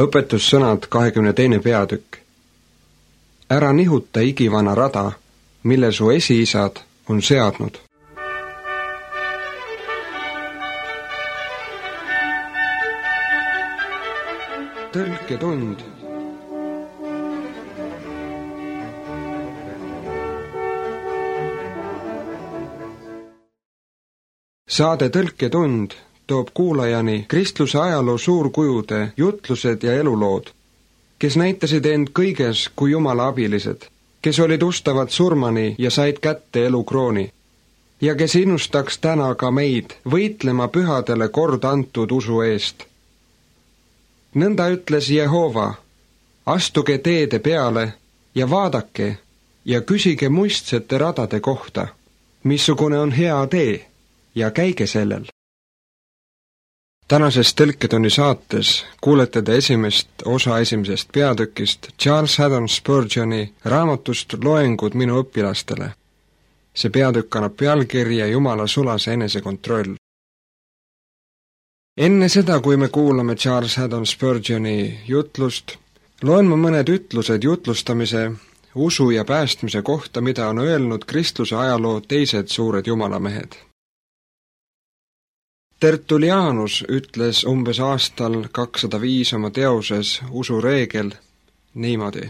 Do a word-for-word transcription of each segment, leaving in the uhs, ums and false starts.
Õpetussõnad kahekümne teine peatükk. Ära nihuta igivana rada, mille su esiisad on seadnud. Tõlketund. Saade Tõlketund toob kuulajani kristluse ajaloo suurkujude jutlused ja elulood, kes näitasid end kõiges kui Jumala abilised, kes olid ustavad surmani ja said kätte elukrooni, ja kes innustaks täna ka meid võitlema pühadele kord antud usu eest. Nõnda ütles Jehova, astuge teede peale ja vaadake ja küsige muistsete radade kohta, missugune on hea tee, ja käige sellel. Tänases Tõlketunni saates kuulete te esimest osa esimesest peatükist Charles Haddon Spurgeoni raamatust Loengud minu õpilastele. See peatükk annab pealkirja Jumala sulase enesekontroll. Enne seda, kui me kuulame Charles Haddon Spurgeoni jutlust, loen ma mõned ütlused jutlustamise, usu ja päästmise kohta, mida on öelnud kristluse ajaloo teised suured jumalamehed. Tertullianus ütles umbes aastal kakssada viis oma teoses Usureegel niimoodi.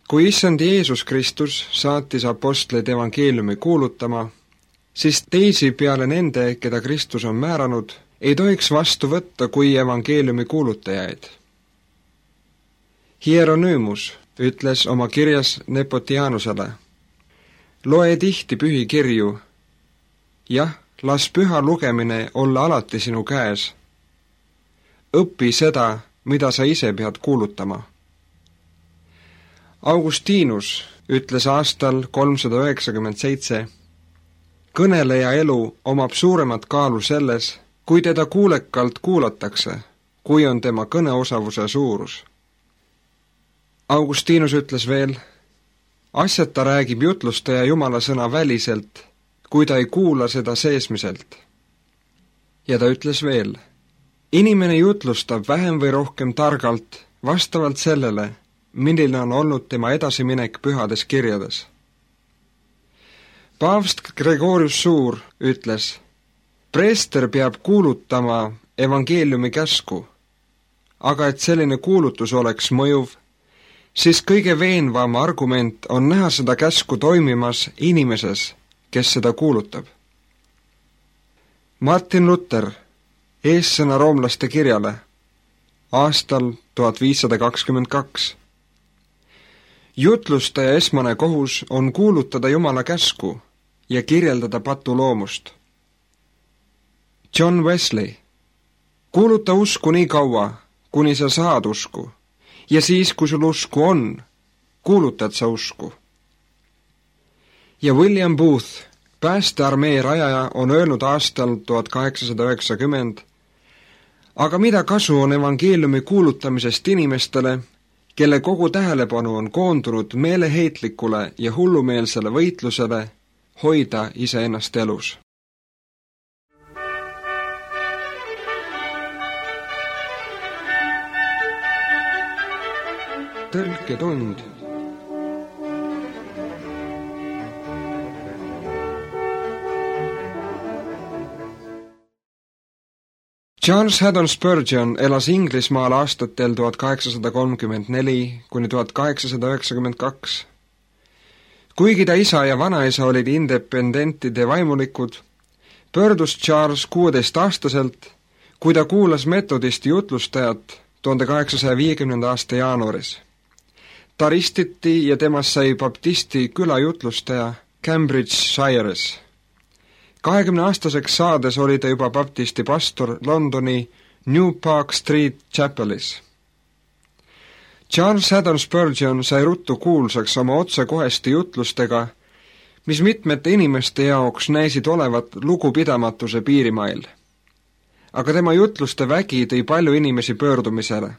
Kui issand Jeesus Kristus saatis apostleid evangeeliumi kuulutama, siis teisi peale nende, keda Kristus on määranud, ei tohiks vastu võtta kui evangeeliumi kuulutajaid. Hieronüümus ütles oma kirjas Nepotianusele, loe tihti pühi kirju, jah, las püha lugemine olla alati sinu käes. Õpi seda, mida sa ise pead kuulutama. Augustinus ütles aastal kolmsada üheksakümmend seitse, kõneleja elu omab suuremat kaalu selles, kui teda kuulekalt kuulatakse, kui on tema kõneosavuse suurus. Augustinus ütles veel, asjata räägib jutlustaja Jumala sõna väliselt, kui ta ei kuula seda seesmiselt. Ja ta ütles veel, inimene jutlustab vähem või rohkem targalt vastavalt sellele, milline on olnud tema edasiminek pühades kirjades. Paavst Gregorius Suur ütles, preester peab kuulutama evangeeliumi käsku, aga et selline kuulutus oleks mõjuv, siis kõige veenvam argument on näha seda käsku toimimas inimeses, kes seda kuulutab. Martin Luther, eessõna roomlaste kirjale, aastal tuhat viissada kakskümmend kaks. Jutlustaja esmane kohus on kuulutada Jumala käsku ja kirjeldada patuloomust. John Wesley, kuuluta usku nii kaua, kuni sa saad usku, ja siis, kui sul usku on, kuulutad sa usku. Ja William Booth, päästearmee rajaja, on öelnud aastal tuhat kaheksasada üheksakümmend, aga mida kasu on evangeeliumi kuulutamisest inimestele, kelle kogu tähelepanu on koondunud meeleheitlikule ja hullumeelsele võitlusele hoida iseennast elus. Tõlketund. Charles Haddon Spurgeon elas Inglismaal aastatel tuhat kaheksasada kolmkümmend neli kuni tuhat kaheksasada üheksakümmend kaks. Kuigi ta isa ja vanaisa olid independentide vaimulikud, pöördus Charles kuueteistaastaselt, kui ta kuulas metodisti jutlustajat tuhande kaheksasaja viiekümnenda aasta jaanuaris. Ta ristiti ja temast sai baptisti külajutlustaja Cambridgeshire'is. kahekümne aastaseks saades oli ta juba baptisti pastor Londoni New Park Street Chapelis. Charles Haddon Spurgeon sai ruttu kuulsaks oma otsekoheste jutlustega, mis mitmete inimeste jaoks näisid olevat lugupidamatuse piirimail. Aga tema jutluste vägi tõi palju inimesi pöördumisele.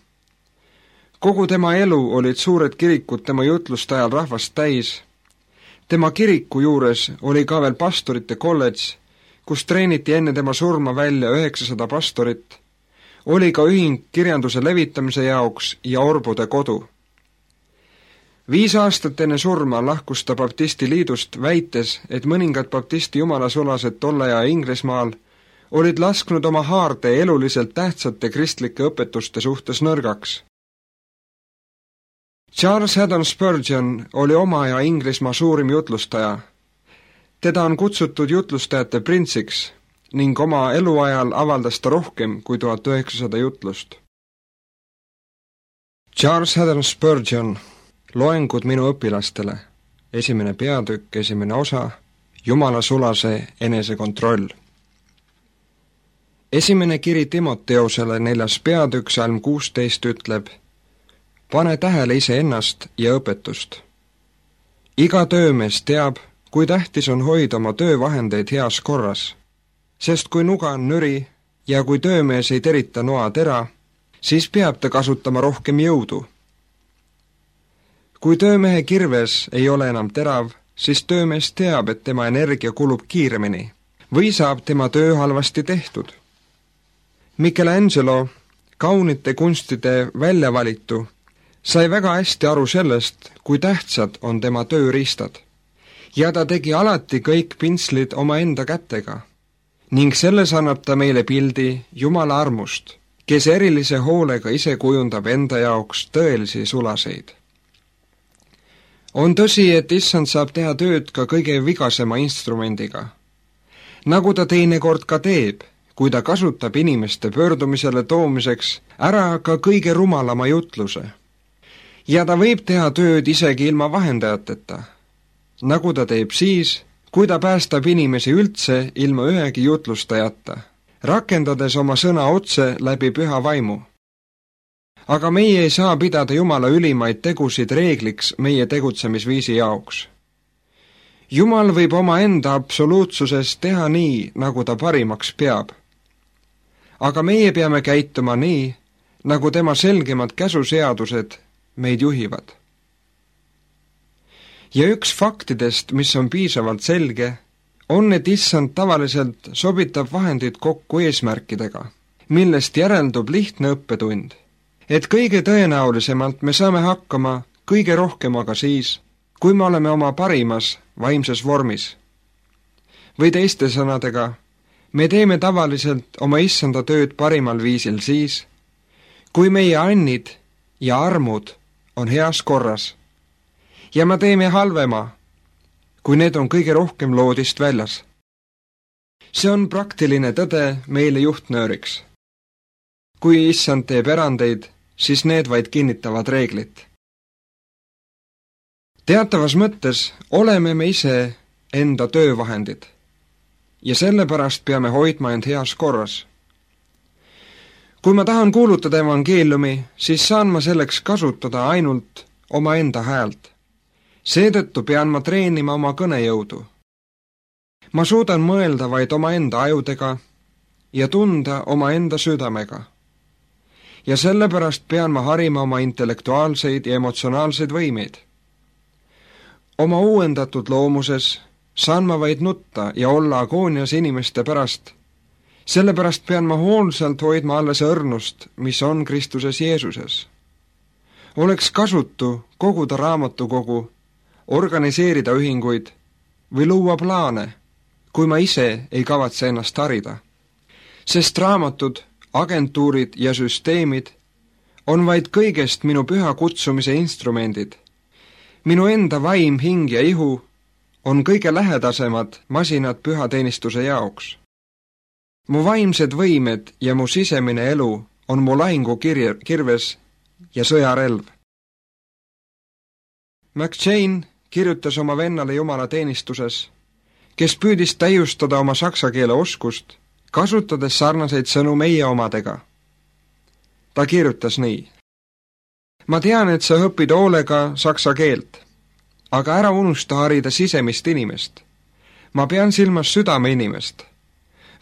Kogu tema elu olid suured kirikud tema jutluste ajal rahvast täis. Tema kiriku juures oli ka veel pastorite kolledž, kus treeniti enne tema surma välja üheksasada pastorit, oli ka ühing kirjanduse levitamise jaoks ja orbude kodu. Viis aastat enne surma lahkus ta baptisti liidust, väites, et mõningad baptisti jumalasulased tolle aja Inglismaal olid lasknud oma haarde eluliselt tähtsate kristlike õpetuste suhtes nõrgaks. Charles Haddon Spurgeon oli oma aja Inglismaa suurim jutlustaja. Teda on kutsutud jutlustajate printsiks ning oma eluajal avaldas ta rohkem kui tuhat üheksasada jutlust. Charles Haddon Spurgeon, loengud minu õpilastele, esimene peatükk, esimene osa, Jumala sulase enesekontroll. Esimene kiri Timoteosele neljas peatükk, salm kuusteist ütleb: pane tähele iseennast ja õpetust. Iga töömees teab, kui tähtis on hoida oma töövahendeid heas korras, sest kui nuga on nüri ja kui töömees ei terita noa tera, siis peab ta kasutama rohkem jõudu. Kui töömehe kirves ei ole enam terav, siis töömees teab, et tema energia kulub kiiremini või saab tema töö halvasti tehtud. Michelangelo, kaunite kunstide väljavalitu, sai väga hästi aru sellest, kui tähtsad on tema tööriistad, ja ta tegi alati kõik pintslid omaenda kätega ning selles annab ta meile pildi Jumala armust, kes erilise hoolega ise kujundab enda jaoks tõelisi sulaseid. On tõsi, et issand saab teha tööd ka kõige vigasema instrumendiga, nagu ta teinekord ka teeb, kui ta kasutab inimeste pöördumisele toomiseks ära ka kõige rumalama jutluse. Ja ta võib teha tööd isegi ilma vahendajateta, nagu ta teeb siis, kui ta päästab inimesi üldse ilma ühegi jutlustajata, rakendades oma sõna otse läbi püha vaimu. Aga meie ei saa pidada Jumala ülimaid tegusid reegliks meie tegutsemisviisi jaoks. Jumal võib oma enda absoluutsuses teha nii, nagu ta parimaks peab. Aga meie peame käituma nii, nagu tema selgemad käsuseadused meid juhivad. Ja üks faktidest, mis on piisavalt selge, on, et issand tavaliselt sobitab vahendid kokku eesmärkidega, millest järeldub lihtne õppetund, et kõige tõenäolisemalt me saame hakkama kõige rohkem aga siis, kui me oleme oma parimas vaimses vormis. Või teiste sõnadega, me teeme tavaliselt oma issanda tööd parimal viisil siis, kui meie annid ja armud on heas korras ja me teeme halvema, kui need on kõige rohkem loodist väljas. See on praktiline tõde meile juhtnööriks. Kui issand teeb erandeid, siis need vaid kinnitavad reeglit. Teatavas mõttes oleme me ise enda töövahendid ja sellepärast peame hoidma end heas korras. Kui ma tahan kuulutada evangeeliumi, siis saan ma selleks kasutada ainult oma enda häält. Seetõttu pean ma treenima oma kõnejõudu. Ma suudan mõelda vaid oma enda ajudega ja tunda oma enda südamega. Ja sellepärast pean ma harima oma intellektuaalseid ja emotsionaalseid võimeid. Oma uuendatud loomuses saan ma vaid nutta ja olla agoonias inimeste pärast. Sellepärast pean ma hoolsalt hoidma alles õrnust, mis on Kristuses Jeesuses. Oleks kasutu koguda raamatukogu, organiseerida ühinguid või luua plaane, kui ma ise ei kavatse ennast harida. Sest raamatud, agentuurid ja süsteemid on vaid kõigest minu püha kutsumise instrumendid. Minu enda vaim, hing ja ihu on kõige lähedasemad masinad pühateenistuse jaoks. Mu vaimsed võimed ja mu sisemine elu on mu lahingu kirje, kirves ja sõjarelv. McChain kirjutas oma vennale Jumala teenistuses, kes püüdis täiustada oma saksa keele oskust, kasutades sarnaseid sõnu meie omadega. Ta kirjutas nii: ma tean, et sa õpid hoolega saksa keelt, aga ära unusta harida sisemist inimest. Ma pean silmas südame inimest.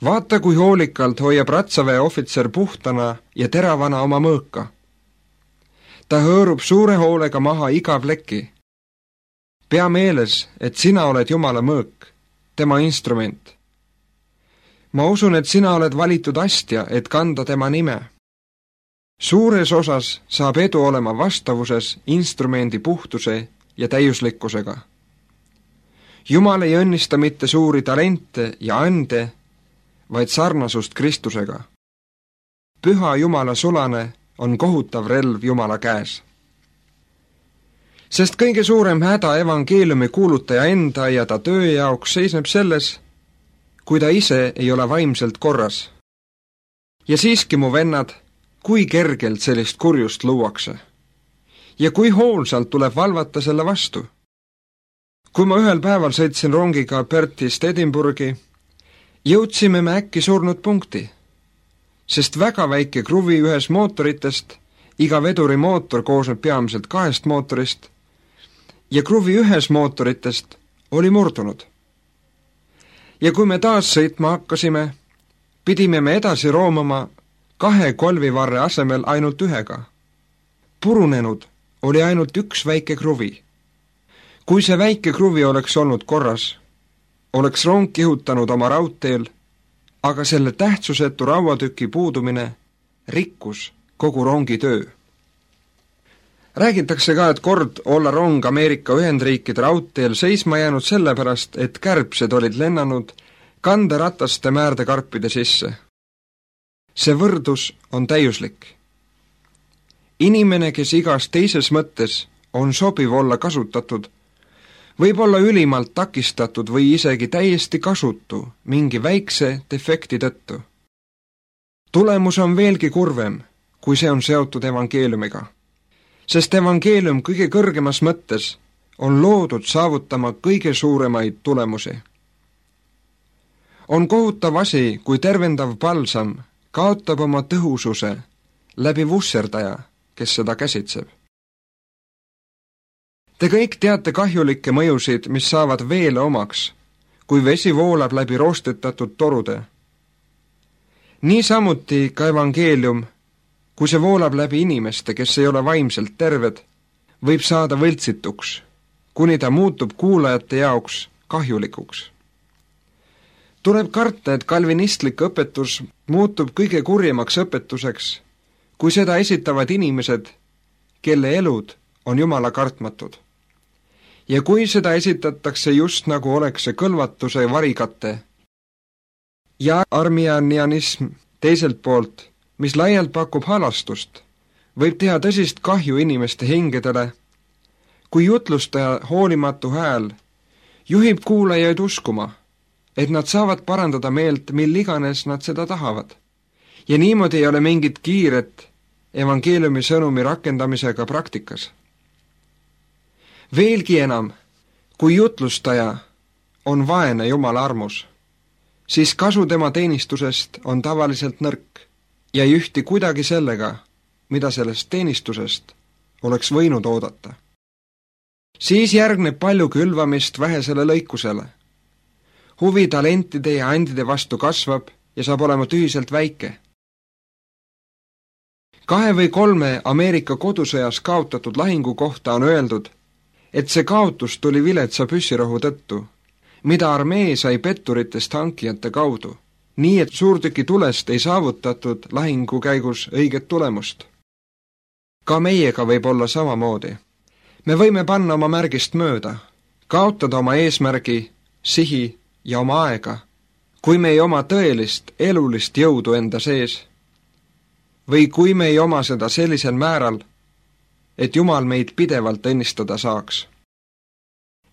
Vaata, kui hoolikalt hoiab ratsaväe ohvitser puhtana ja teravana oma mõõka. Ta hõõrub suure hoolega maha iga pleki. Pea meeles, et sina oled Jumala mõõk, tema instrument. Ma usun, et sina oled valitud astja, et kanda tema nime. Suures osas saab edu olema vastavuses instrumendi puhtuse ja täiuslikkusega. Jumal ei õnnista mitte suuri talente ja ande, vaid sarnasust Kristusega. Püha Jumala sulane on kohutav relv Jumala käes. Sest kõige suurem häda evangeeliumi kuulutaja enda ja ta töö jaoks seisneb selles, kui ta ise ei ole vaimselt korras. Ja siiski, mu vennad, kui kergelt sellist kurjust luuakse. Ja kui hoolsalt tuleb valvata selle vastu. Kui ma ühel päeval sõitsin rongiga Perthist Edinburghi, jõudsime me äkki surnud punkti, sest väga väike kruvi ühes mootoritest, iga veduri mootor koosneb peamiselt kahest mootorist, ja kruvi ühes mootoritest oli murdunud. Ja kui me taas sõitma hakkasime, pidime me edasi roomama kahe kolvivarre asemel ainult ühega. Purunenud oli ainult üks väike kruvi. Kui see väike kruvi oleks olnud korras, oleks rong kihutanud oma raudteel, aga selle tähtsusetu rauatüki puudumine rikkus kogu rongi töö. Räägitakse ka, et kord olla rong Ameerika Ühendriikide raudteel seisma jäänud sellepärast, et kärbsed olid lennanud kanderataste määrdekarpide sisse. See võrdus on täiuslik. Inimene, kes igas teises mõttes on sobiv olla kasutatud, võib olla ülimalt takistatud või isegi täiesti kasutu mingi väikse defekti tõttu. Tulemus on veelgi kurvem, kui see on seotud evangeeliumiga. Sest evangeelium kõige kõrgemas mõttes on loodud saavutama kõige suuremaid tulemusi. On kohutav asi, kui tervendav palsam kaotab oma tõhususe läbi vusserdaja, kes seda käsitseb. Te kõik teate kahjulikke mõjusid, mis saavad veele omaks, kui vesi voolab läbi roostetatud torude. Niisamuti ka evangeelium, kui see voolab läbi inimeste, kes ei ole vaimselt terved, võib saada võltsituks, kuni ta muutub kuulajate jaoks kahjulikuks. Tuleb karta, et kalvinistlik õpetus muutub kõige kurjemaks õpetuseks, kui seda esitavad inimesed, kelle elud on Jumala kartmatud. Ja kui seda esitatakse just nagu oleks see kõlvatuse varikate ja armianianism teiselt poolt, mis laialt pakub halastust, võib teha tõsist kahju inimeste hingedele, kui jutlustaja hoolimatu hääl juhib kuulajaid uskuma, et nad saavad parandada meelt, mil iganes nad seda tahavad. Ja niimoodi ei ole mingit kiiret evangeeliumi sõnumi rakendamisega praktikas. Veelgi enam, kui jutlustaja on vaene Jumala armus, siis kasu tema teenistusest on tavaliselt nõrk ja ei ühti kuidagi sellega, mida sellest teenistusest oleks võinud oodata. Siis järgneb palju külvamist vähesele lõikusele. Huvi talentide ja andide vastu kasvab ja saab olema tühiselt väike. Kahe või kolme Ameerika kodusõjas kaotatud lahingu kohta on öeldud, et see kaotus tuli viletsa püssirohu tõttu, mida armee sai petturitest hankijate kaudu, nii et suurtüki tulest ei saavutatud lahingu käigus õiget tulemust. Ka meiega võib olla samamoodi. Me võime panna oma märgist mööda, kaotada oma eesmärgi, sihi ja oma aega, kui me ei oma tõelist elulist jõudu enda sees, või kui me ei oma seda sellisel määral, et Jumal meid pidevalt õnnistada saaks.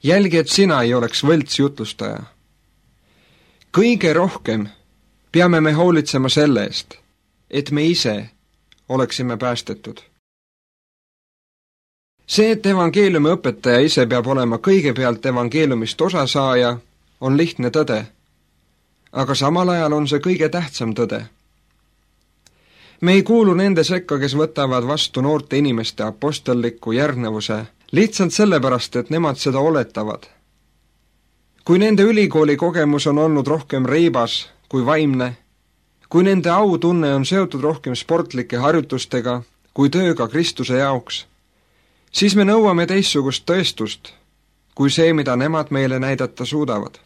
Jälgi, et sina ei oleks võltsjutlustaja. Kõige rohkem peame me hoolitsema selle eest, et me ise oleksime päästetud. See, et evangeeliumi õpetaja ise peab olema kõigepealt evangeeliumist osasaaja, on lihtne tõde, aga samal ajal on see kõige tähtsam tõde. Me ei kuulu nende sekka, kes võtavad vastu noorte inimeste apostelliku järgnevuse lihtsalt sellepärast, et nemad seda oletavad. Kui nende ülikooli kogemus on olnud rohkem reibas kui vaimne, kui nende autunne on seotud rohkem sportlike harjutustega kui tööga Kristuse jaoks, siis me nõuame teistsugust tõestust, kui see, mida nemad meile näidata suudavad.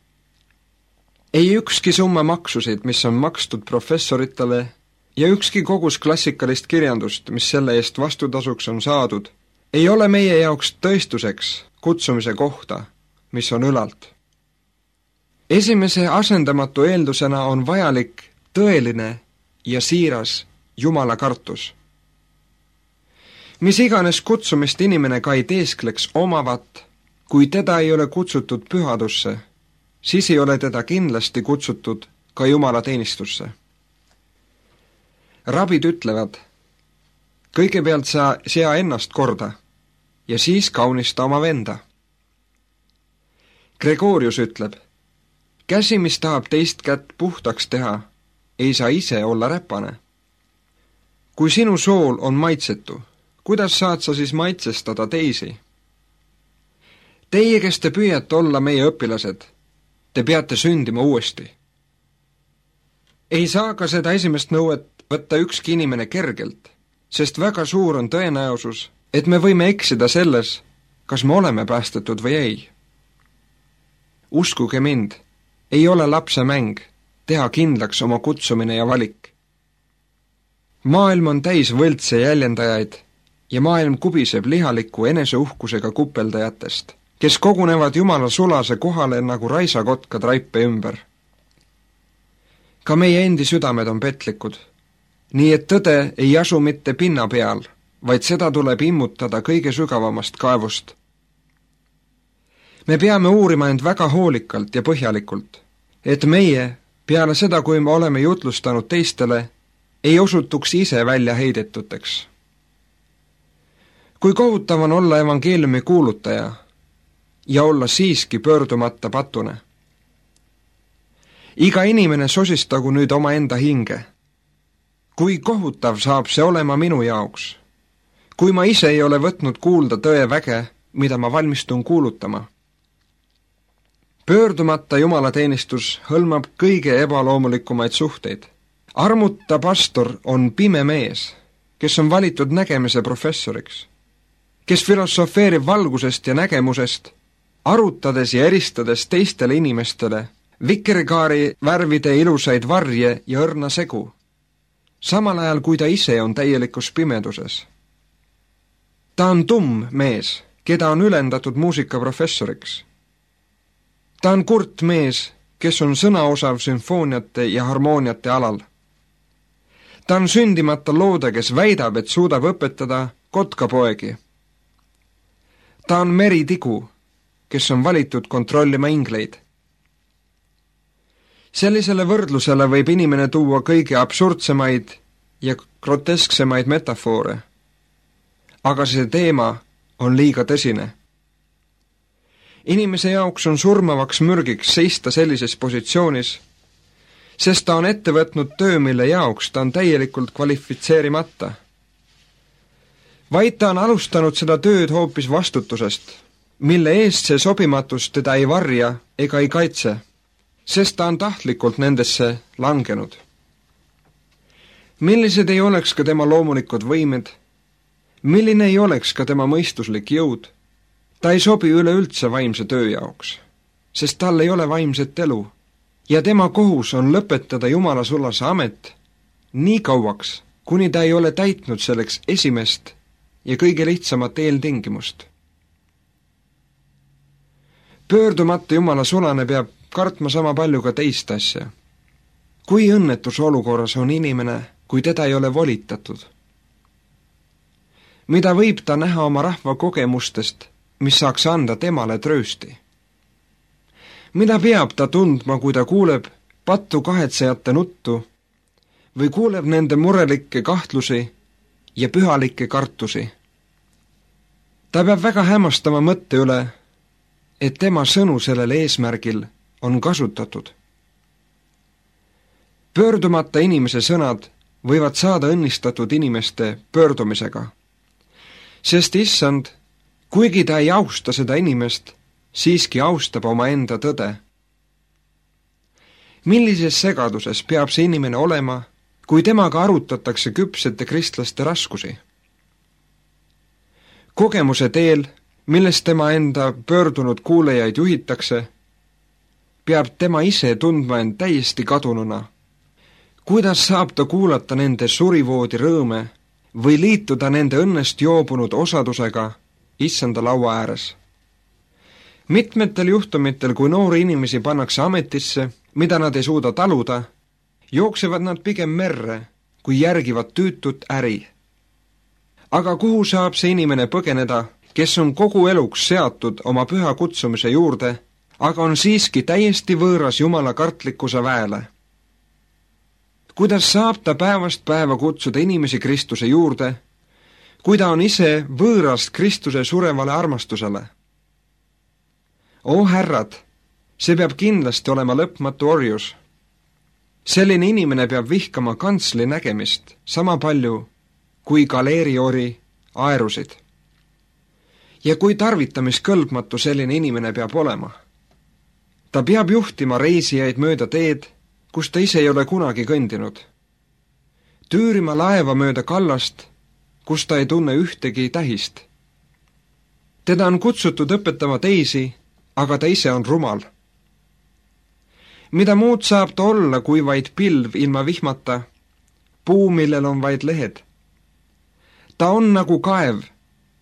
Ei ükski summa maksusid, mis on makstud professoritele ja ükski kogus klassikalist kirjandust, mis selle eest vastutasuks on saadud, ei ole meie jaoks tõestuseks kutsumise kohta, mis on ülalt. Esimese asendamatu eeldusena on vajalik tõeline ja siiras Jumala kartus. Mis iganes kutsumist inimene ka ei teeskleks omavat, kui teda ei ole kutsutud pühadusse, siis ei ole teda kindlasti kutsutud ka Jumala teenistusse. Rabid ütlevad, kõigepealt sa sea ennast korda ja siis kaunista oma venda. Gregorius ütleb, käsi, mis tahab teist kätt puhtaks teha, ei saa ise olla räpane. Kui sinu sool on maitsetu, kuidas saad sa siis maitsestada teisi? Teie, kes te püüate olla meie õpilased, te peate sündima uuesti. Ei saa ka seda esimest nõuet võtta ükski inimene kergelt, sest väga suur on tõenäosus, et me võime eksida selles, kas me oleme päästetud või ei. Uskuge mind, ei ole lapse mäng teha kindlaks oma kutsumine ja valik. Maailm on täis võltse jäljendajaid ja maailm kubiseb lihaliku eneseuhkusega kupeldajatest, kes kogunevad Jumala sulase kohale nagu raisakotkad raipe ümber. Ka meie endi südamed on petlikud, nii et tõde ei asu mitte pinna peal, vaid seda tuleb immutada kõige sügavamast kaevust. Me peame uurima end väga hoolikalt ja põhjalikult, et meie, peale seda, kui me oleme jutlustanud teistele, ei osutuks ise välja heidetuteks. Kui kohutav on olla evangeeliumi kuulutaja ja olla siiski pöördumata patune. Iga inimene sosistagu nüüd oma enda hinge. Kui kohutav saab see olema minu jaoks, kui ma ise ei ole võtnud kuulda tõe väge, mida ma valmistun kuulutama. Pöördumata jumalateenistus hõlmab kõige ebaloomulikumaid suhteid. Armuta pastor on pime mees, kes on valitud nägemise professoriks, kes filosofeerib valgusest ja nägemusest, arutades ja eristades teistele inimestele vikerkaari värvide ilusaid varje ja õrna segu, samal ajal kui ta ise on täielikus pimeduses. Ta on tumm mees, keda on ülendatud muusikaprofessoriks. Ta on kurt mees, kes on sõnaosav sümfooniate ja harmooniate alal. Ta on sündimata loode, kes väidab, et suudab õpetada kotkapoegi. Ta on meritigu, kes on valitud kontrollima ingleid. Sellisele võrdlusele võib inimene tuua kõige absurdsemaid ja grotesksemaid metafoore. Aga see teema on liiga tõsine. Inimese jaoks on surmavaks mürgiks seista sellises positsioonis, sest ta on ette võtnud töö, mille jaoks ta on täielikult kvalifitseerimata. Vaid ta on alustanud seda tööd hoopis vastutusest, mille eest see sobimatus teda ei varja ega ei kaitse, sest ta on tahtlikult nendesse langenud. Millised ei oleks ka tema loomulikud võimed, milline ei oleks ka tema mõistuslik jõud, ta ei sobi üleüldse vaimse töö jaoks, sest tal ei ole vaimset elu ja tema kohus on lõpetada Jumala sulase amet nii kauaks, kuni ta ei ole täitnud selleks esimest ja kõige lihtsamat eeltingimust. Pöördumata Jumala sulane peab kartma sama palju ka teist asja. Kui õnnetus olukorras on inimene, kui teda ei ole volitatud? Mida võib ta näha oma rahva kogemustest, mis saaks anda temale tröösti? Mida peab ta tundma, kui ta kuuleb pattu kahetsejate nuttu või kuuleb nende murelikke kahtlusi ja pühalikke kartusi? Ta peab väga hämmastama mõtte üle, et tema sõnu sellel eesmärgil on kasutatud. Pöördumata inimese sõnad võivad saada õnnistatud inimeste pöördumisega, sest issand, kuigi ta ei austa seda inimest, siiski austab omaenda tõde. Millises segaduses peab see inimene olema, kui temaga arutatakse küpsete kristlaste raskusi? Kogemuse teel, millest tema enda pöördunud kuulejaid juhitakse, peab tema ise tundma end täiesti kadununa, Kuidas saab ta kuulata nende surivoodi rõõme või liituda nende õnnest joobunud osadusega issanda laua ääres? Mitmetel juhtumitel, kui noori inimesi pannakse ametisse, mida nad ei suuda taluda, jooksevad nad pigem merre, kui järgivad tüütut äri. Aga kuhu saab see inimene põgeneda, kes on kogu eluks seatud oma püha kutsumise juurde, aga on siiski täiesti võõras Jumala kartlikkuse väele? Kuidas saab ta päevast päeva kutsuda inimesi Kristuse juurde, kui ta on ise võõrast Kristuse surevale armastusele? O härrad, see peab kindlasti olema lõpmatu orjus. Selline inimene peab vihkama kantsli nägemist sama palju kui galeeriori aerusid. Ja kui tarvitamiskõlbmatu selline inimene peab olema? Ta peab juhtima reisijaid mööda teed, kus ta ise ei ole kunagi kõndinud. Tüürima laeva mööda kallast, kus ta ei tunne ühtegi tähist. Teda on kutsutud õpetama teisi, aga ta ise on rumal. Mida muud saab ta olla, kui vaid pilv ilma vihmata, puu, millel on vaid lehed? Ta on nagu kaev,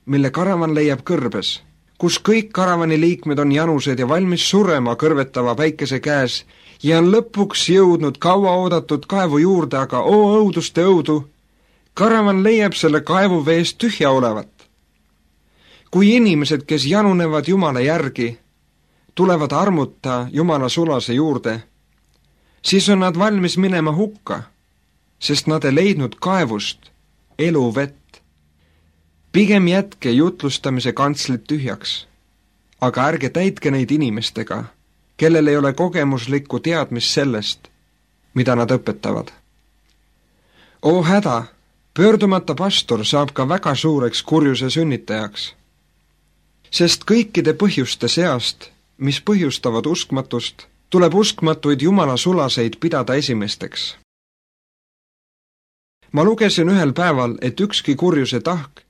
mille karavan leiab kõrbes, kus kõik karavani liikmed on janused ja valmis surema kõrvetava päikese käes ja on lõpuks jõudnud kaua oodatud kaevu juurde, aga oo õuduste õudu, karavan leiab selle kaevu veest tühja olevat. Kui inimesed, kes janunevad Jumala järgi, tulevad armuta Jumala sulase juurde, siis on nad valmis minema hukka, sest nad ei leidnud kaevust elu vett. Pigem jätke jutlustamise kantslit tühjaks, aga ärge täitke neid inimestega, kellel ei ole kogemuslikku teadmist sellest, mida nad õpetavad. O häda, pöördumata pastor saab ka väga suureks kurjuse sünnitajaks, sest kõikide põhjuste seast, mis põhjustavad uskmatust, tuleb uskmatuid Jumala sulaseid pidada esimesteks. Ma lugesin ühel päeval, et ükski kurjuse tahk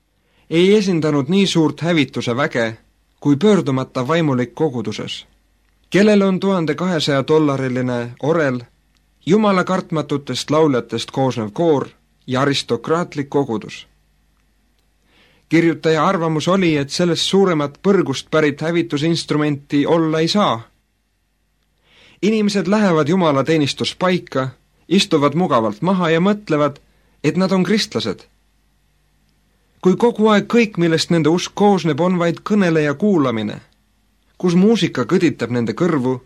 ei esindanud nii suurt hävituse väge kui pöördumata vaimulik koguduses, kellel on tuhande kahesaja dollariline orel, Jumala kartmatutest lauljatest koosnev koor ja aristokraatlik kogudus. Kirjutaja arvamus oli, et sellest suuremat põrgust pärit hävitusinstrumenti olla ei saa. Inimesed lähevad Jumala teenistuspaika, istuvad mugavalt maha ja mõtlevad, et nad on kristlased. Kui kogu aeg kõik, millest nende usk koosneb, on vaid kõnele ja kuulamine, kus muusika kõditab nende kõrvu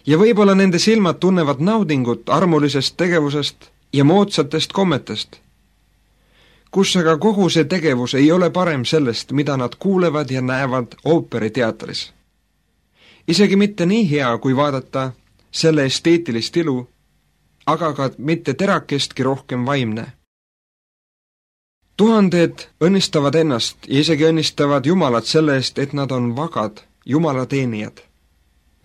ja võib-olla nende silmad tunnevad naudingut armulisest tegevusest ja moodsatest kommetest, kus aga kogu see tegevus ei ole parem sellest, mida nad kuulevad ja näevad ooperiteatris. Isegi mitte nii hea, kui vaadata selle esteetilist ilu, aga ka mitte terakestki rohkem vaimne. Tuhanded õnnistavad ennast ja isegi õnnistavad Jumalat selle eest, et nad on vagad Jumala teenijad,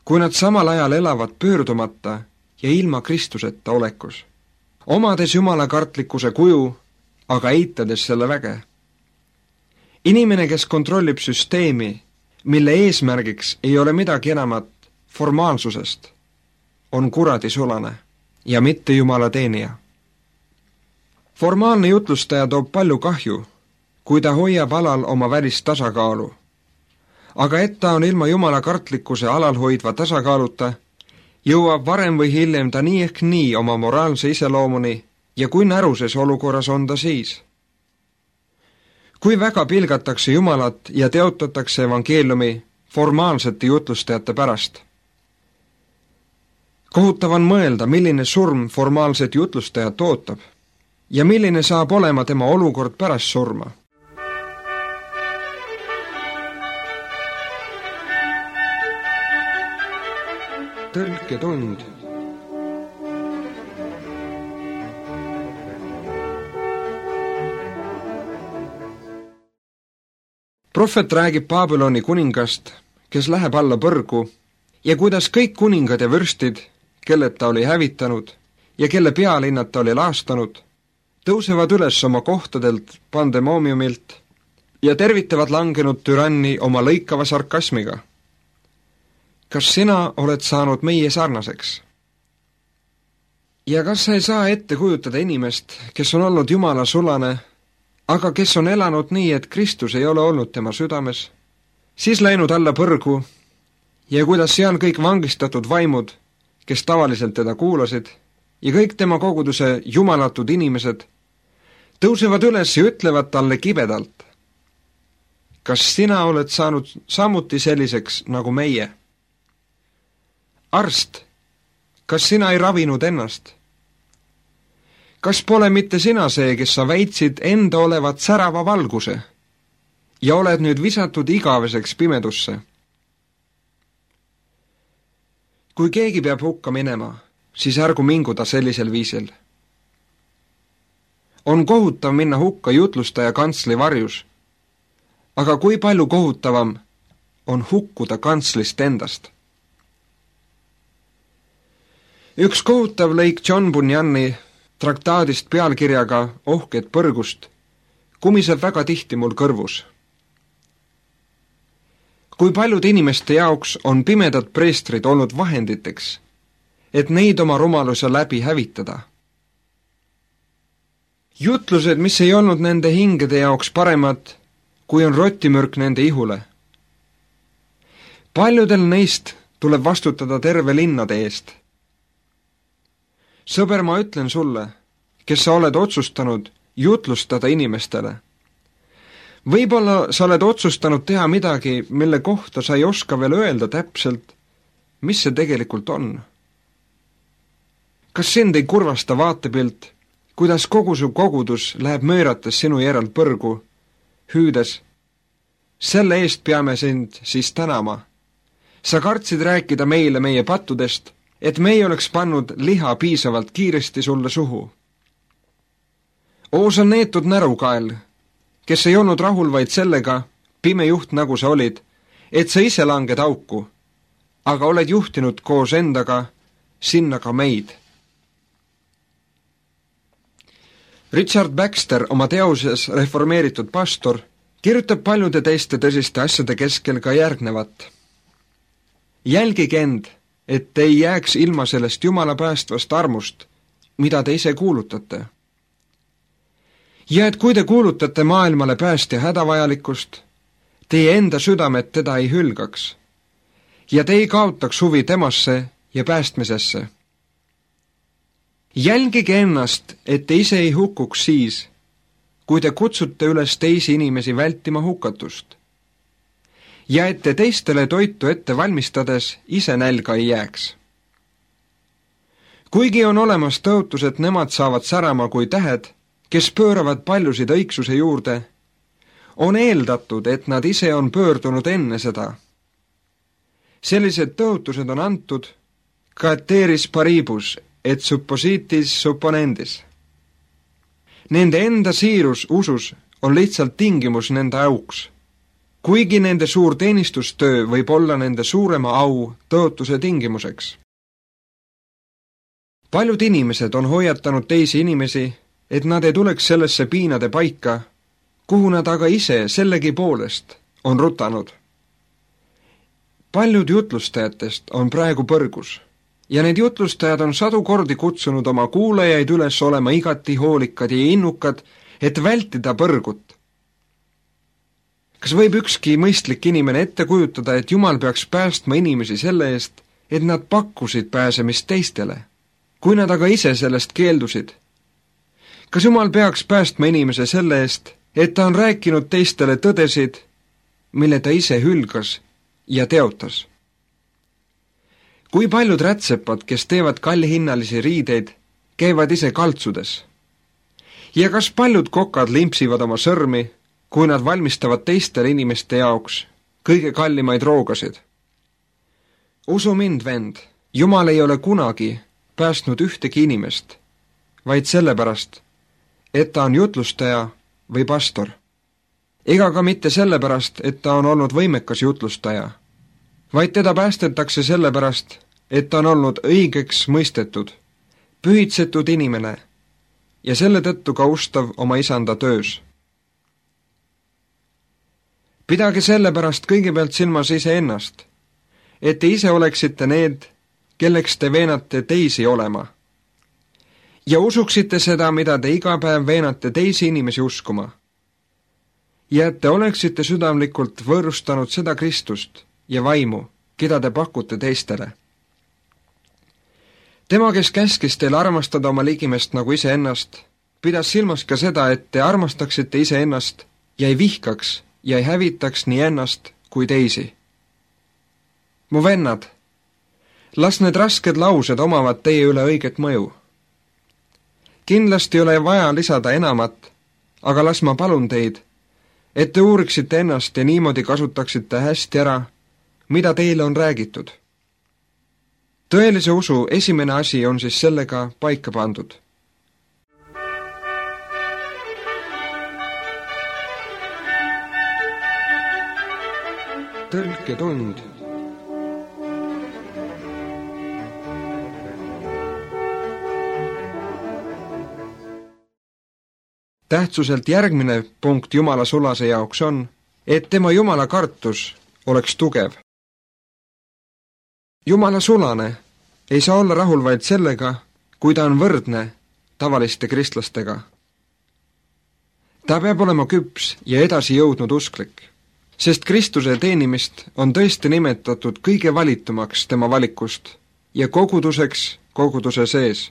kui nad samal ajal elavad pöördumata ja ilma Kristuseta olekus, omades Jumala kartlikkuse kuju, aga eitades selle väge. Inimene, kes kontrollib süsteemi, mille eesmärgiks ei ole midagi enamat formaalsusest, on kuradisulane ja mitte Jumala teenija. Formaalne jutlustaja toob palju kahju, kui ta hoiab alal oma välist tasakaalu, aga et ta on ilma Jumala kartlikkuse alal hoidva tasakaaluta, jõuab varem või hiljem ta nii ehk nii oma moraalse iseloomuni ja kui näruses olukorras on ta siis. Kui väga pilgatakse Jumalat ja teotatakse evangeeliumi formaalsete jutlustajate pärast. Kohutav on mõelda, milline surm formaalset jutlustajat ootab ja milline saab olema tema olukord pärast surma. Tõlketund. Prohvet räägib Babyloni kuningast, kes läheb alla põrgu, ja kuidas kõik kuningad ja vürstid, kelled ta oli hävitanud ja kelle pealinnad ta oli laastanud, tõusevad üles oma kohtadelt pandemoomiumilt ja tervitavad langenud türanni oma lõikava sarkasmiga. Kas sina oled saanud meie sarnaseks? ja kas sa ei saa ette kujutada inimest, kes on olnud Jumala sulane, aga kes on elanud nii, et Kristus ei ole olnud tema südames, siis läinud alla põrgu ja kuidas seal kõik vangistatud vaimud, kes tavaliselt teda kuulasid, ja kõik tema koguduse jumalatud inimesed tõusevad üles ja ütlevad talle kibedalt: kas sina oled saanud samuti selliseks nagu meie? Arst, kas sina ei ravinud ennast? Kas pole mitte sina see, kes sa väitsid enda olevat särava valguse ja oled nüüd visatud igaveseks pimedusse? Kui keegi peab hukka minema, siis ärgu mingu ta sellisel viisil. On kohutav minna hukka jutlustaja kantsli varjus, aga kui palju kohutavam on hukkuda kantslist endast. Üks kohutav lõik John Bunyani traktaadist pealkirjaga Ohked põrgust kumiseb väga tihti mul kõrvus. Kui paljud inimeste jaoks on pimedad preestrid olnud vahenditeks, et neid oma rumaluse läbi hävitada. Jutlused, mis ei olnud nende hingede jaoks paremad, kui on rotimürk nende ihule. Paljudel neist tuleb vastutada terve linnade eest. Sõber, ma ütlen sulle, kes sa oled otsustanud jutlustada inimestele. Võib-olla sa oled otsustanud teha midagi, mille kohta sa ei oska veel öelda täpselt, mis see tegelikult on. Kas sind ei kurvasta vaatepilt, kuidas kogu su kogudus läheb möörates sinu järel põrgu, hüüdes: selle eest peame sind siis tänama. Sa kartsid rääkida meile meie pattudest, et me ei oleks pannud liha piisavalt kiiresti sulle suhu. Oo, sa neetud närukael, kes ei olnud rahul vaid sellega, pime juht nagu sa olid, et sa ise langed auku, aga oled juhtinud koos endaga sinna ka meid. Richard Baxter oma teoses Reformeeritud pastor kirjutab paljude teiste tõsiste asjade keskel ka järgnevat. Jälgige end, et ei jääks ilma sellest Jumala päästvast armust, mida te ise kuulutate. Ja et kui te kuulutate maailmale päästja hädavajalikkust, teie enda südamed teda ei hülgaks ja te ei kaotaks huvi temasse ja päästmisesse. Jälgige ennast, et te ise ei hukkuks siis, kui te kutsute üles teisi inimesi vältima hukatust ja et te teistele toitu ette valmistades ise nälga ei jääks. Kuigi on olemas tõotus, et nemad saavad särama kui tähed, kes pööravad paljusid õigsuse juurde, on eeldatud, et nad ise on pöördunud enne seda. Sellised tõotused on antud cateris paribus et suppositis supponendis. Nende enda siirus usus on lihtsalt tingimus nende auks, kuigi nende suur teenistustöö võib olla nende suurema au tõotuse tingimuseks. Paljud inimesed on hoiatanud teisi inimesi, et nad ei tuleks sellesse piinade paika, kuhu nad aga ise sellegi poolest on rutanud. Paljud jutlustajatest on praegu põrgus ja need jutlustajad on sadu kordi kutsunud oma kuulajaid üles olema igati hoolikad ja innukad, et vältida põrgut. Kas võib ükski mõistlik inimene ette kujutada, et Jumal peaks päästma inimesi selle eest, et nad pakkusid pääsemist teistele, kui nad aga ise sellest keeldusid? Kas Jumal peaks päästma inimese selle eest, et ta on rääkinud teistele tõdesid, mille ta ise hülgas ja teotas? Kui paljud rätsepad, kes teevad kallihinnalisi riideid, käivad ise kaltsudes? Ja kas paljud kokad limpsivad oma sõrmi, kui nad valmistavad teistele inimeste jaoks kõige kallimaid roogasid? Usu mind, vend, Jumal ei ole kunagi päästnud ühtegi inimest, vaid sellepärast, et ta on jutlustaja või pastor. Ega ka mitte sellepärast, et ta on olnud võimekas jutlustaja, vaid teda päästetakse sellepärast, et ta on olnud õigeks mõistetud, pühitsetud inimene ja selle tõttu ka ustav oma isanda töös. Pidage sellepärast kõigepealt silmas ise ennast, et te ise oleksite need, kelleks te veenate teisi olema. ja usuksite seda, mida te iga päev veenate teisi inimesi uskuma. Ja et te oleksite südamlikult võõrustanud seda Kristust ja vaimu, keda te pakute teistele. Tema, kes käskis teil armastada oma ligimest nagu iseennast, pidas silmas ka seda, et te armastaksite iseennast ja ei vihkaks ja ei hävitaks nii ennast kui teisi. Mu vennad, las need rasked laused omavad teie üle õiget mõju. Kindlasti ei ole vaja lisada enamat, aga las ma palun teid, et te uuriksite ennast ja niimoodi kasutaksite hästi ära, mida teile on räägitud. Tõelise usu esimene asi on siis sellega paika pandud. Tõlketund. Tähtsuselt järgmine punkt Jumala sulase jaoks on, et tema Jumala kartus oleks tugev. Jumala sulane ei saa olla rahul vaid sellega, kui ta on võrdne tavaliste kristlastega. Ta peab olema küps ja edasi jõudnud usklik, sest Kristuse teenimist on tõesti nimetatud kõige valitumaks tema valikust ja koguduseks koguduse sees.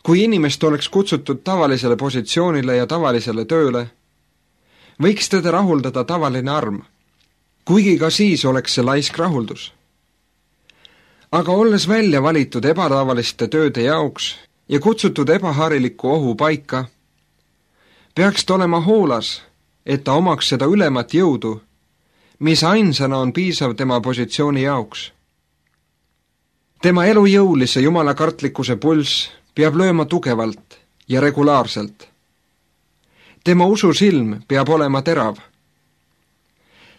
Kui inimest oleks kutsutud tavalisele positsioonile ja tavalisele tööle, võiks teda rahuldada tavaline arm, kuigi ka siis oleks see laisk rahuldus. Aga olles välja valitud ebatavaliste tööde jaoks ja kutsutud ebahariliku ohu paika, peaks ta olema hoolas, et ta omaks seda ülemat jõudu, mis ainsana on piisav tema positsiooni jaoks. Tema elujõulise jumalakartlikkuse pulss peab lööma tugevalt ja regulaarselt. Tema ususilm peab olema terav.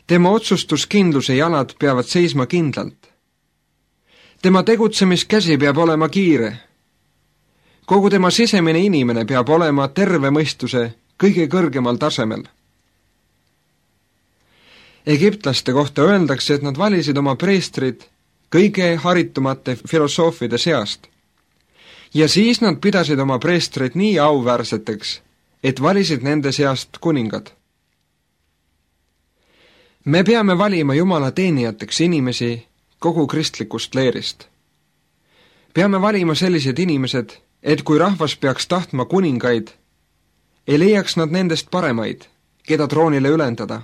Tema otsustuskindluse jalad peavad seisma kindlalt. Tema tegutsemiskäsi peab olema kiire. Kogu tema sisemine inimene peab olema terve mõistuse kõige kõrgemal tasemel. Egiptlaste kohta öeldakse, et nad valisid oma preestrid kõige haritumate filosoofide seast. Ja siis nad pidasid oma preestrid nii auväärseteks, et valisid nende seast kuningad. Me peame valima Jumala teenijateks inimesi kogu kristlikust leerist. Peame valima sellised inimesed, et kui rahvas peaks tahtma kuningaid, ei leiaks nad nendest paremaid, keda troonile ülendada.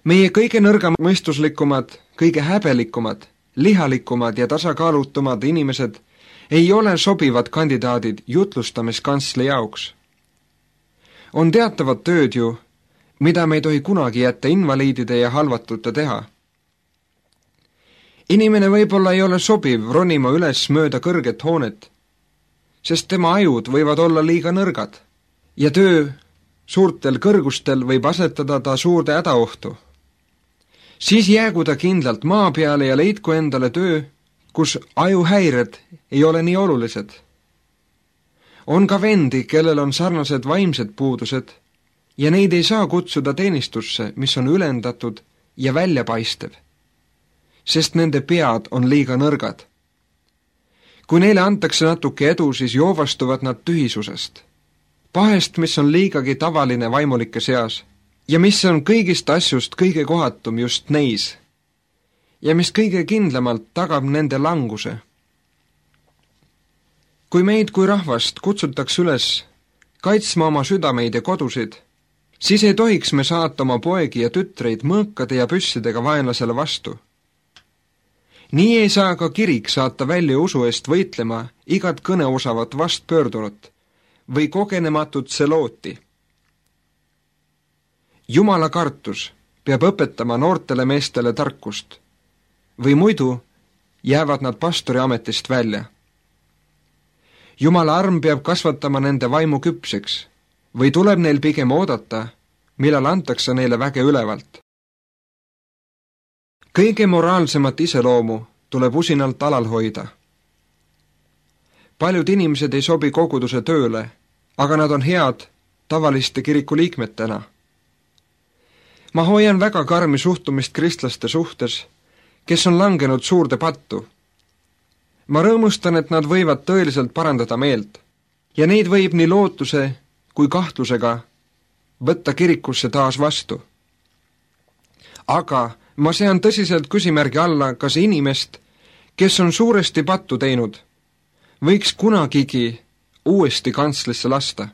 Meie kõige nõrgamõistuslikumad, kõige häbelikumad, lihalikumad ja tasakaalutumad inimesed ei ole sobivad kandidaadid jutlustamiskantsli jaoks. On teatavad tööd ju, mida me ei tohi kunagi jätta invaliidide ja halvatute teha. Inimene võib-olla ei ole sobiv ronima üles mööda kõrget hoonet, sest tema ajud võivad olla liiga nõrgad ja töö suurtel kõrgustel võib asetada ta suurde hädaohtu. Siis jäägu ta kindlalt maa peale ja leidku endale töö, kus ajuhäired ei ole nii olulised. On ka vendi, kellel on sarnased vaimsed puudused ja neid ei saa kutsuda teenistusse, mis on ülendatud ja väljapaistev, sest nende pead on liiga nõrgad. Kui neile antakse natuke edu, siis joovastuvad nad tühisusest, pahest, mis on liigagi tavaline vaimulike seas ja mis on kõigist asjust kõige kohatum just neis ja mis kõige kindlamalt tagab nende languse. Kui meid kui rahvast kutsutakse üles kaitsma oma südameid ja kodusid, siis ei tohiks me saata oma poegi ja tütreid mõõkade ja püssidega vaenlasele vastu. Nii ei saa ka kirik saata välja usu eest võitlema igat kõneosavat vastpöördunut või kogenematut selooti. Jumala kartus peab õpetama noortele meestele tarkust, või muidu jäävad nad pastori ametist välja. Jumala arm peab kasvatama nende vaimu küpseks või tuleb neil pigem oodata, millal antakse neile väge ülevalt. Kõige moraalsemat iseloomu tuleb usinalt alal hoida. Paljud inimesed ei sobi koguduse tööle, aga nad on head tavaliste kirikuliikmetena. Ma hoian väga karmi suhtumist kristlaste suhtes, kes on langenud suurde pattu. Ma rõõmustan, et nad võivad tõeliselt parandada meelt ja neid võib nii lootuse kui kahtlusega võtta kirikusse taas vastu. Aga ma sean tõsiselt küsimärgi alla, kas inimest, kes on suuresti pattu teinud, võiks kunagigi uuesti kantslisse lasta.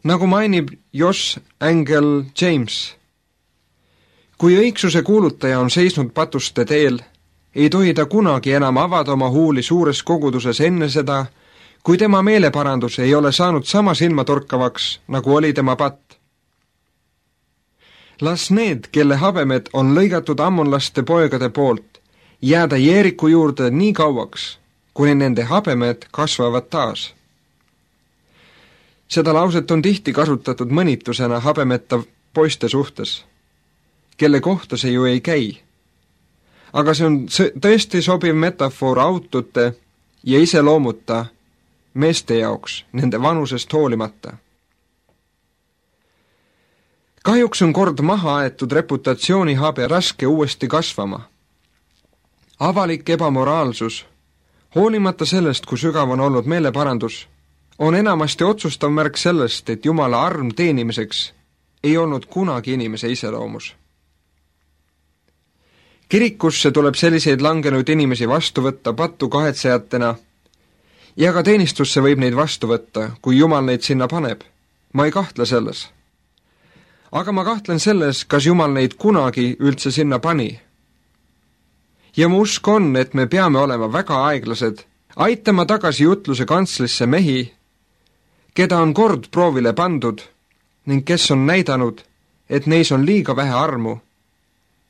Nagu mainib Josh Angel James, kui õigsuse kuulutaja on seisnud patuste teel, ei tohi ta kunagi enam avada oma huuli suures koguduses enne seda, kui tema meeleparandus ei ole saanud sama silmatorkavaks, nagu oli tema patt. Las need, kelle habemed on lõigatud ammonlaste poegade poolt, jääda Jeeriku juurde nii kauaks, kuni nende habemed kasvavad taas. Seda lauset on tihti kasutatud mõnitusena habemeta poiste suhtes, kelle kohta see ju ei käi. Aga see on tõesti sobiv metafoor autote ja iseloomuta meeste jaoks, nende vanusest hoolimata. Kahjuks on kord maha aetud reputatsioonihabe raske uuesti kasvama. Avalik ebamoraalsus, hoolimata sellest, kui sügav on olnud meeleparandus, on enamasti otsustav märk sellest, et Jumala arm teenimiseks ei olnud kunagi inimese iseloomus. Kirikusse tuleb selliseid langenud inimesi vastu võtta pattu kahetsejatena ja ka teenistusse võib neid vastu võtta, kui Jumal neid sinna paneb. Ma ei kahtle selles. Aga ma kahtlen selles, kas Jumal neid kunagi üldse sinna pani. Ja mu usk on, et me peame olema väga aeglased, aitama tagasi jutluse kantslisse mehi, keda on kord proovile pandud ning kes on näidanud, et neis on liiga vähe armu,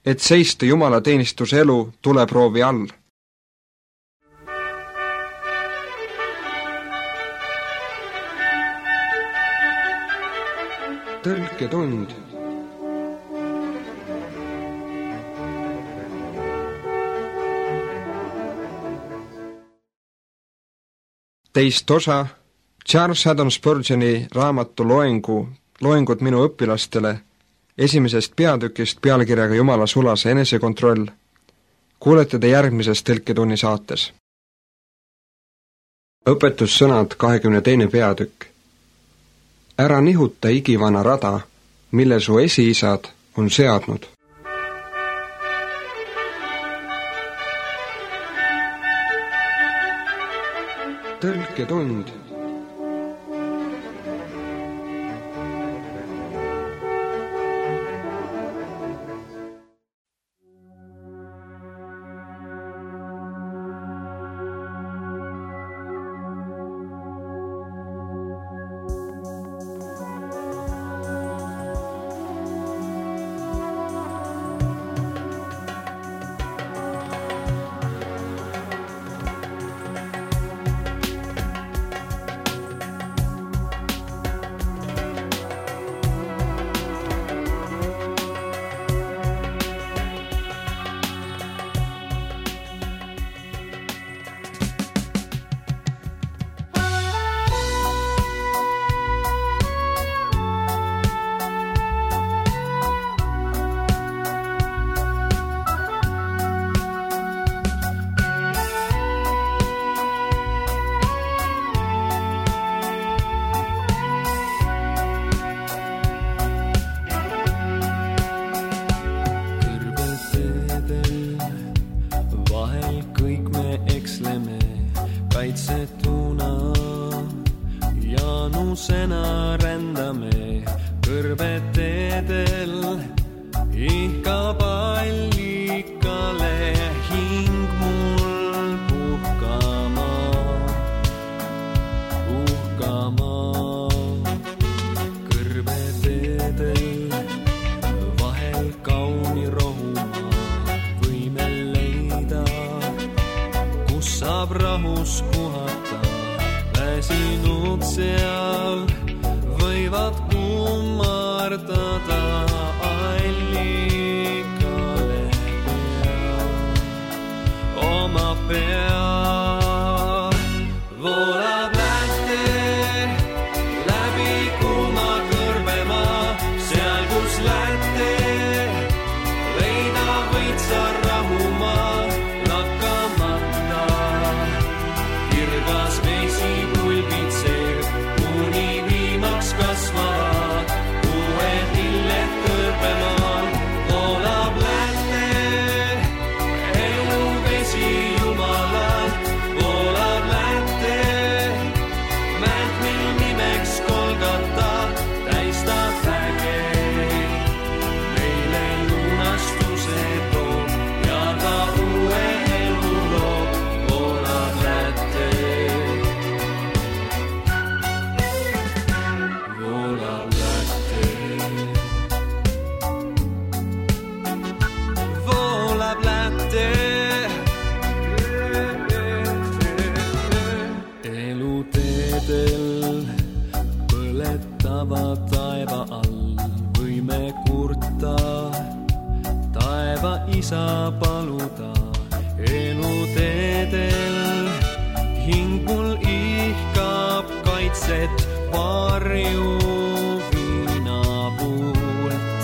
et seista Jumala teenistuse elu tuleproovi all. Tõlketund. Teist osa Charles Haddon Spurgeoni raamatu loengu, loengud minu õpilastele esimesest peatükist pealkirjaga Jumala sulase enesekontroll. Kuulete te järgmises Tõlketunni saates. Õpetussõnad kahekümne teine peatükk. Ära nihuta igivana rada, mille su esiisad on seadnud. Tõlketund. kaitsetuna jaanusena rändame kõrbeteedel ihkab allikale hing mul puhkama, puhkama kõrbeteedel vahel kauni rohumaa võime leida, kus saab rahus puhata. Väsinud seal võivad kummardada allikale pea, oma pea. Voolab lähte läbi kuuma kõrbemaa, seal kus lähte leida võid sa rahumaa, lakkamata öösel põletava taeva all võime kurta, taeva isa paluda eluteedel. Hing mul ihkab kaitset varju viinapuult,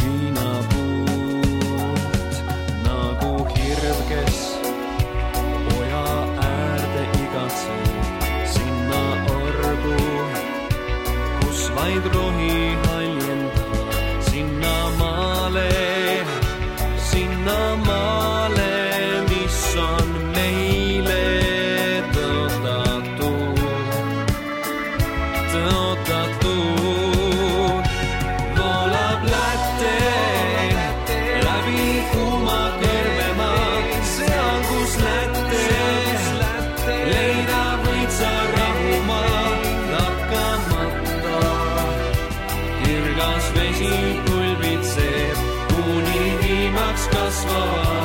viinapuult nagu hirv, kes oja äärde igatseb sinna orgu, kus vaid rohi haljenda, sinna maale, sinna maale, mis on meile tõotatud, tõotatud. Voolab Lätte läbi kuuma kõrvemaa, seal kus Lätte leida võid sa rahumaa lakkamata. Kirgas vesi pulbitseb, kuni viimaks kasvavad